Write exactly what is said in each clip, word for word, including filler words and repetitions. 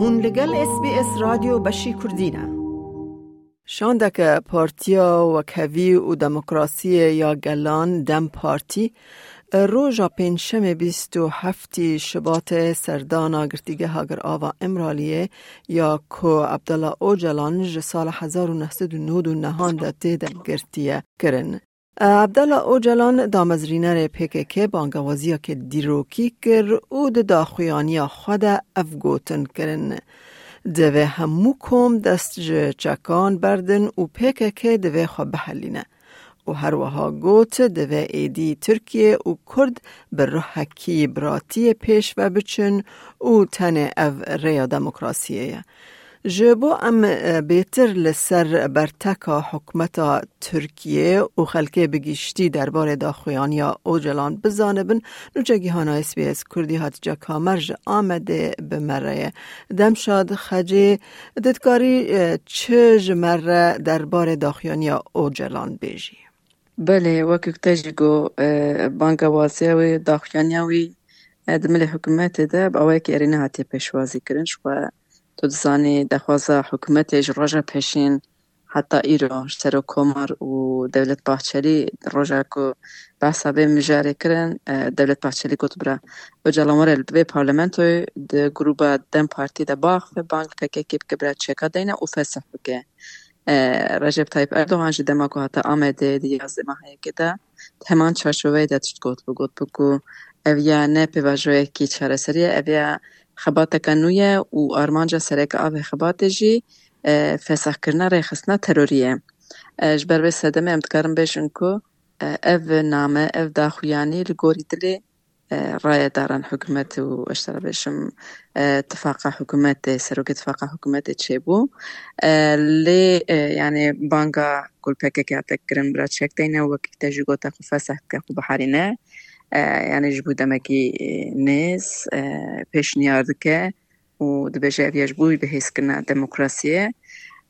Hûn li gel S B S Radyo Beşî Kurdî ne. Şandeke Partiya Wekhevî û Demokrasiyê ya Gelan, DEM Partî, roja Pêncşemê bîst û heftê Şibatê serdana Girtîgeha Girava Îmraliyê ya ku Abdullah Ocalan ji sala hezar û neh sed û nod û nehan de tê de girtiye kirin. Abdullah Ocalan, damezrînerê P K K, bangewaziyeke dîrokî kir û di daxuyaniya xwe de ev gotin kirin: Divê hemû kom dest ji çekan berdin û P K K divê xwe bihelîne. Û her wiha got, divê êdî Tirkiye û Kurd bi ruhekî biratiyê pêş ve biçin û tenê ev rêya demokrasiyê ye. Ji bo em, e, bêtir li ser berteka hikûmeta Tirkiye û xelkê bi giştî derbarê daxuyaniya Ocalan bizanibin, nûçegihana S B S Kurdî Hatice Kamer ji Amedê bi me re ye. Demşad Xecê, tu dikarî, e, çi ji me re derbarê daxuyaniya Ocalan bêjî? Belê, wekî te jî got, e, bangewaziya wî, daxuyaniya wî, e, di milê hikûmetê de bi awayekî erê nehatiye pêşwazî kirin. Ji xwe tu dizanî, daxwaza hikûmetê ji roja pêşîn heta îro, ji Serokkomar û Dewlet Bahçelî, roja ku behsa vê mijarê kirin, e, Dewlet Bahçelî got, bira Ocalan were li vê parlamentoyê, di grûba DEM Partî de biaxive, bang li P K K bike, bira çeka deyne û fesih bike. E, Recep Tayyip Erdogan jî dema ku hate Amedê di yazdeh meha yekê de, di heman çarçoveyê de tişt got, bi got bi ku ev ya ne pêvajoyekî çareserî ye, ev ya xebateke nû ye û armanca sereke a vê xebatê jî, e, fesahkirina rêxistina terorî ye. E, ji ber vê sedemê em dikarin bêjin ku, e, ev name, ev daxuyanî li gorî dilê, e, rayedaran hikûmet û, ez dibêjim, e, tifaqa hikûmetê, serokê tifaqa hikûmetê çêbû. E, lê, e, yani banga ku li P K K hate kirin, bira çek deyne, wekî te jî gote, xwe fesih bike, xwe biherîne. E, yani ji bo demekî, e, nêz, e, pêşniyar dike û dibêje, ev ya ji bo wî bihêzkirina demokrasiyê.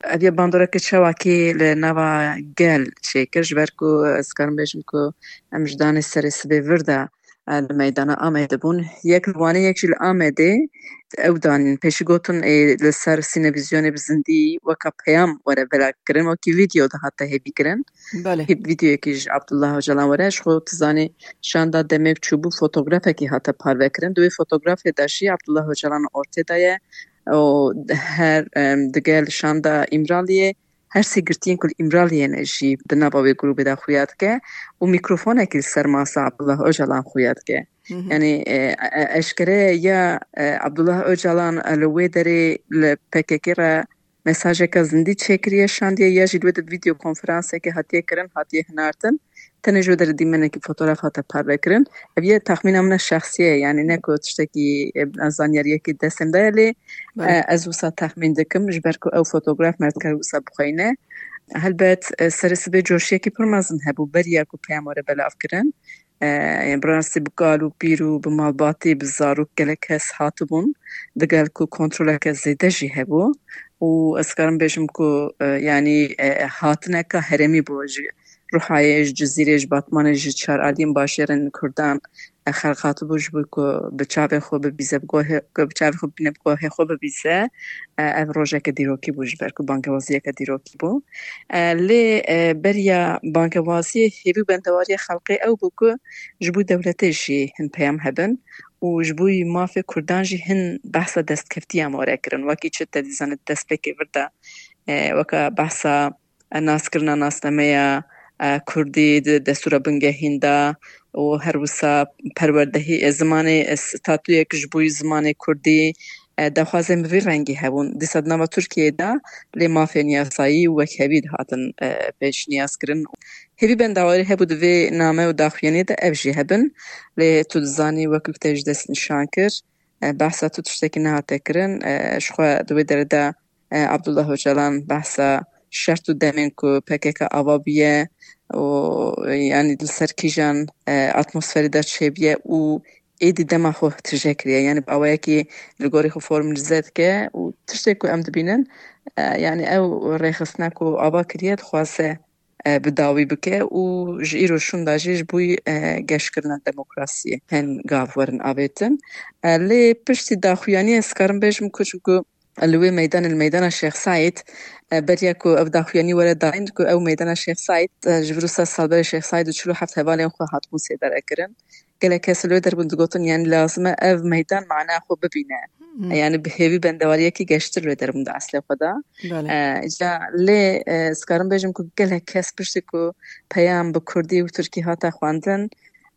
Ev ya bandoreke çawakî li nava gel çêkir, ji ber ku ez karim bêjim ku em ji danê serê sibê vir de, e, li meydana Amedê bûn. Yek li Wanê, yek jî li Amedê ew danîn. Pêşî gotin, ê, li ser sînevîzyonê bi zindî weka peyam were velakirin, wekî vîdeo dihate hêvîkirin. Belê. Hê vîdeoyekî ji Abdullah Ocalan were, ji xwe tu zanî, şanda demê çûbû, fotografekî hate parvekirin. Di wê fotografê de jî Abdullah Ocalan ortê de ye û her, em, digel şanda Îmraliyê, her sê girtiyên ku li Îmraliyê ne jî di nava wê grûbê de xuya dike û mîkrofonekî li ser masa Abdullah Ocalan xuya dike. Hı hı. Yani, e, e, eşkere ya, e, Abdullah Ocalan, e, li wê derê li P K K re mesajeke zindî çêkiriye, şandiye, ya jî li wê de vîdeo konferansekê hatiye kirin, hatiye hinartin. Tenê ji wê derê dîmenekî fotograf hate parvekirin. Ev yê texmîna min e şexsî ye, yani ne ku tiştekî, e, zanyariyekî destê min de ye, lê, Belê. e, ez wisa texmîn dikim, ji ber ku ew fotograf me dikare wisa bixweyne. Helbet, e, serê sibê coşiyekî pir mezin hebû, beriya ku peyam were belavkirin. E, yani bi rastî bi kal û pîr û bi malbatî, bi zarok gelek kes hatibûn, digel ku kontroleke zêde jî hebû. Û ez karim bêjim ku, e, yani, e, hatineka herêmî bû ji Ruhayê, ji Cizîrê, ji Batmanê, ji çar aliyên bajêrên Kurdan, e, xelq hatibû ji bo ku bi çavê xwe bibîze, bi guhê, ku bi çavê xwe bibîne, bi guhê xwe bibîze. E, ev rojeke dîrokî bû, ji ber ku bangewaziyeke dîrokî bû. E, lê, e, beriya bangewaziyê hêvî û bendewariya xelkê ew bû ku ji bo dewletê jî hin peyam hebin û ji bo mafê Kurdan jî hin behsa destkeftiyan were kirin. Wekî çi te dîzanî destpêkê vir de, e, weke behsa, e, naskirina nasnameya, e, Kurdî di destûra bingehîn de û her wisa perwerdehî, e, zimanê, e, statuyek ji bo zimanê Kurdî, e, daxwazên bi vî rengî hebûn. Dîsa di nava Tirkiyeyê de lê mafên yasayî û wekhevî dihatin, e, pêşniyazkirin. Hêvî bendawarî hebû di vê name û daxuyaniyê de ev jî hebin. Lê tu dizanî, wekî ku te jî destnîşan kir, e, behsa tu tiştekî nehate kirin. E, ji xwe di wê derê de, e, Abdullah Ocalan behsa şert û demên ku P K K ava bûye û, e, yanî li ser kîjan, e, atmosferê de çêbûye û êdî dema xwe tije kiriye. Yanî bi awayekî li gorî xwe formalize dike û tiştê ku em dibînin, e, yanî ew rêxistina ku ava kiriye dixwaze, e, bi dawî bike û ji îro şûnda jî ji bo, e, geşkirina demokrasiyê hin gav werin avêtin. E, lê piştî daxuyaniyê ez karim bêjim ku çimku li wê meydanê, li meydana Şêx Seîd, e, beriya ku ev daxuyanî were dayîn, ku ew meydana Şêx Seîd, e, ji vir û sed sal berê Şêx Seîd û çil û heft hevalên xwe hatibûn sêdere kirin. Gelek kes li wê derbûn digotin, yani lazim e ev meydan mana xwe bibîne. Hmm. Yani bi hêvî bendewariyekî geştir li wê derbûn di eslê xwe de. Belê. E, îca lê, e, ez karim bêjim ku gelek kes piştî ku peyam bi kurdî û tirkî hate xwendin,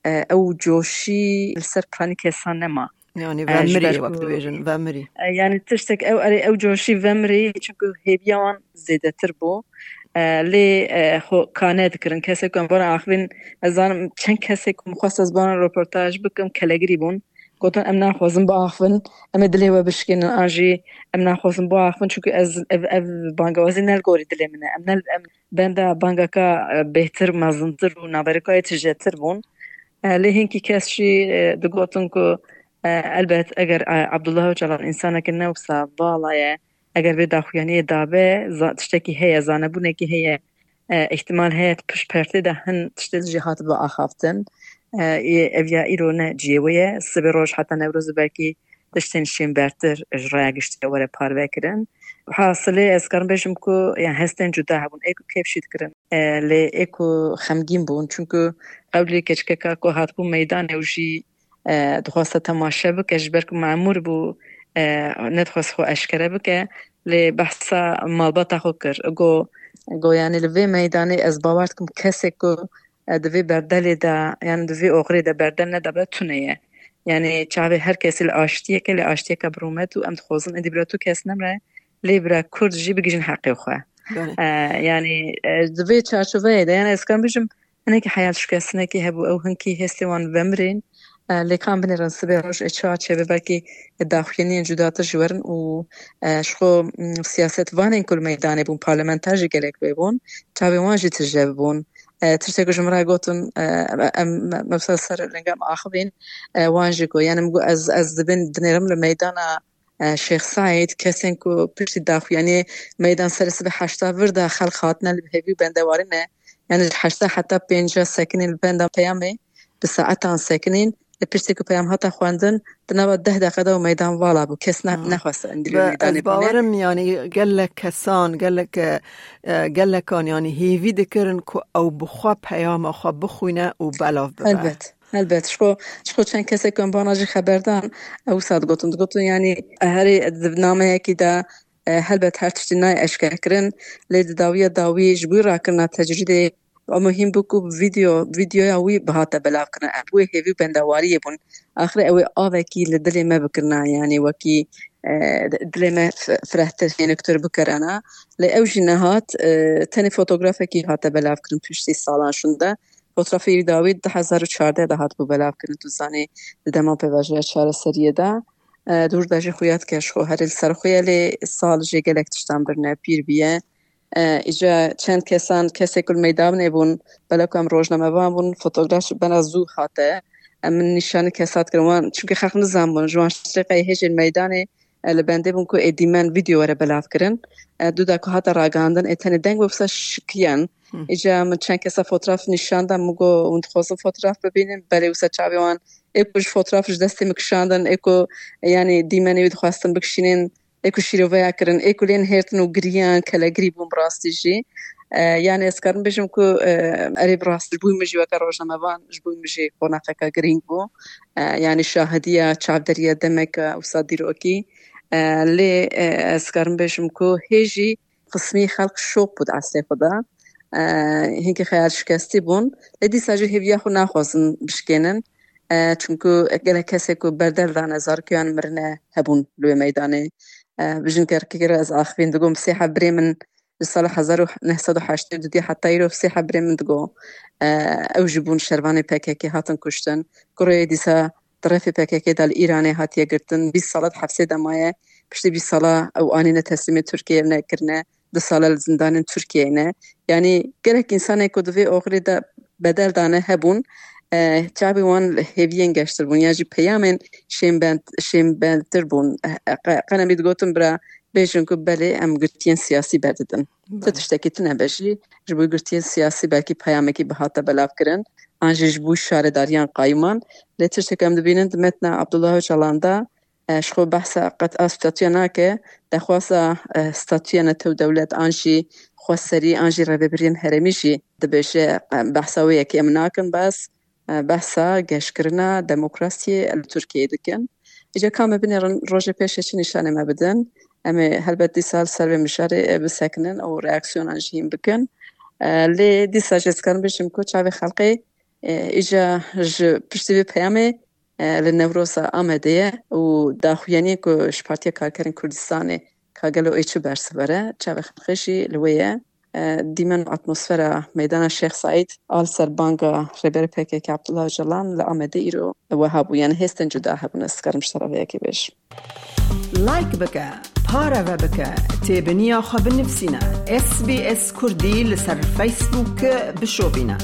e, ew coşî li ser piranî kesan nema. Yani E, ji vemirî ber wek ku dibêjin, vemirî. E, yani tiştek ew, erê ew coşî vemirî, çunku hêviya wan zêdetir bû. E, lê, e, xwe kane dikirin. Kesê ku em bona axivîn, ez zanim çend kesê ku min xwest ez bona roportaj bikim, kelegirî bûn. Gotin, em naxwazin biaxivin, em ê dilê we bişkênin, an jî em naxwazin biaxivin, çunku ez, ev, ev bangewazî ne li gorî dilê min e. Em ne, em benda bangeka, e, bêhtir, mezintir û naberîkayê tijêtir bûn. E, lê hinkî kes jî, e, digotin ku, e, elbet eger, e, Abdullah Ocalan însaneke ne wisa vala ye, eger vê daxuyaniyê dabe, za-, tiştekî heye, zanebûnekî heye, e, îhtimal heye pişt perdê de hin tiştê jî hatibe axaftin. E, ê, ev ya îro ne cihê wê ye. Sibê roj heta Newrozê belkî tiştên şênbertir ji raya giştî were parvekirin. Hasilê ez karim bêjim ku, yani, hestên cuda hebûn, ê ku kêf jî dikirin, e, lê ê ku xemgîn bûn. Çunku qewlê keçikeka ku hatibû meydanê û jî, e, dixwaste temaşe bike, ji ber ku memûr bû, e, nedixwest xwe eşkere bike, lê behsa malbata xwe kir. Go, go, yani, li vê meydanê ez bawer dikim kesê ku, e, di vê berdelê de, yani di vê oxirê de berdel nedabe, tune ye. Yani çavê her kesî li aştiyeke, lê aştiyeke bi rûmet û em dixwazin êdî bira tu kes nemre, lê bira Kurd jî bigihîjin heqê xwe. Belê. E, yani, e, di vê çarçoveyê de, yani ez karim bijim, hinekî heyal şikestinekî hebû, ew hinkî hêstê wan vemirên, e, lê kan binêrin sibê roj ê çawa çêbe, belkî daxuyaniyên cudatir jî werin û, e, ji xwe, m, siyasetvanên ku li meydanê bûn, parlamenter jî gelek wê bûn, çavê wan jî tije bûn. E, tiştê ku ji min re gotin, e, em, me, me wisa ser linga em axivîn, e, wan jî got, yani min got, ez, ez dibên dinêrim li meydana, e, Şêx Seîd, kesên ku piştî daxuyaniyê meydan serê sibê heşta vir de xelk hatine li hêvî û bendewarî ne. Yani ji heşta heta pênca sekinîn li benda peyamê, bi saetan sekinîn, lê piştî ku peyam hate xwendin, di nava deh deqe de û meydan vala bû. Kes ne, Hmm. nexwest endî Be, meydanê ez bûne. Bawerim, yani, gelek kesan, gelek, e, e, gelekan, yani, hêvî dikirin ku ew bi xwe peyama xwe bixwîne û belav bibe. Helbet, helbet. Ji xwe, ji xwe çend kesek em bana jî xeber dan, ew wisa digotin, digotin, yani, herê di nameyekî de, e, helbet her tiştî nayê eşkerekirin, lê di dawiya dawî ji bo rakirina tecrîdê, ew muhîm bû ku video, videoya wî bihate belavkirin. Em wê hêvî û bendewariyê bûn. Axirê ew ê avekî li dilê me bikirina, yanî wekî, e, dilê me f-, firehtir, hêniktir bikerana. Lê ew jî nehat, e, tenê fotografekî hate belavkirin piştî salan şûnde. Fotoğrafê wî dawî du hezar û çardeh de hatibû belavkirin. Tu zanî di dema pêvajoya çareseriyê de, e, dûr de jî xuya dike ji xwe herê li ser xwe ye, lê sal jê gelek tiştan birine, pîr bûye. E, îca çend kesan, kesê ku li meydanê bûn, belê ku em rojnamevan bûn, fotograf ji bena zû hate. Em min nîşanî kesa dikirin wan, çunke xelk nizanbûn, ji wan şeş deqeyê hêjên meydanê, e, li bendê bûn ku ê dîmen vîdeo were belavkirin. E, dû da ku hate ragihandin, ê tenê deng wê wisa şikiyan. Hı. Îca min çend kesa fotoğraf nîşan da, min got, hûn dixwazin fotoğraf bibînin? Belê, wisa çavê wan ê ku ji fotoğraf ji destê min kişandin, ê ku, yanî, dîmenê wî dixwestin bikişînin, ê ku şîroveya kirin, ê ku lê nihêrtin û giriyan, kelegirî bûn bi rastî jî. E, yanî ez karim bêjim ku, e, erê bi rastî ji bo min jî weke rojnamevan, ji bo min jî qonaxeke girîng bû. E, yanî şahidiya çavderiya demeke wisa dîrokî. E, lê, e, ez karim bêjim ku hê jî qismî xelk şok bû di eslê xwe de. E, hinkî xeyal şikestî bûn. Lê dîsa jî hêviya xwe naxwazin bişkênin. E, çunku gelek kesê ku berdel dane, zarokê wan mirine hebûn li wê meydanê. E, bijin kerkekê re ez axivîn digot, sê heb birê min ji sala hezar û neh sed û heştê û du heta îro sê heb birê min digot. E, ew jî bûn şervanê P K K, hatin kuştin. Kurê dîsa di refê P K K de li Îranê hatiye girtin. Bîst sala di hefsê de maye. Piştî bîst sala ew anîne teslîmê Tirkiyeyê ne kirine. Du sala li zindanên Tirkiyeyê ne. Yanî gelek însanê ku di vê oxirê de bedel dane hebûn, e, çavê wan li hêviyên geştir bûn, ya jî peyamên şênbend-, şênbendtir bûn. E, qe-, qenemî digotin bira bêjin ku belê em girtiyên siyasî berdidin. Ti Belê. tiştekî tune be jî ji bo girtiyên siyasî belkî peyamekî bihate belavkirin, an jî ji bo şaredariyan qayûman. Lê tiştek em dibînin di metna Abdullah Ocalan de, e, ji xwe behsa qet a statûya nake, daxwaza, e, statûya netew dewlet an jî xweserî an jî rêvebiriyên herêmî jî dibêje, e, behsa wê yekê em nakin, bes, e, behsa geşkirina demokrasiyê li Tirkiyeyê dikin. Îca ka me binêrin rojê pêşê çi nîşanê me bidin, em ê helbet dîsa li ser vê mijarê, e, bisekinin û reaksiyonan jî hîn bikin. E, lê dîsa jî ez dikarim bêjim ku çavê xelkê, e, îca ji piştî vê peyamê, e, li Newroza Amedê ye û daxuyaniyê ku ji Partiya Karkerên Kurdistanê ka gelo ê çi bersiv bere, çavê xelkê jî li wê ye. E, dîmen û atmosfera meydana Şêx Seîd a li ser banga Rêberê P K K Abdullah Ocalan li Amedê îro wiha bû. Yani hêstên cuda hebûn, ez dikarim ji tera vê yekê bêjim. Like bike, pareve bike, têbiniya xwe binivîsîne. S B S Kurdî li ser Facebook bişopîne.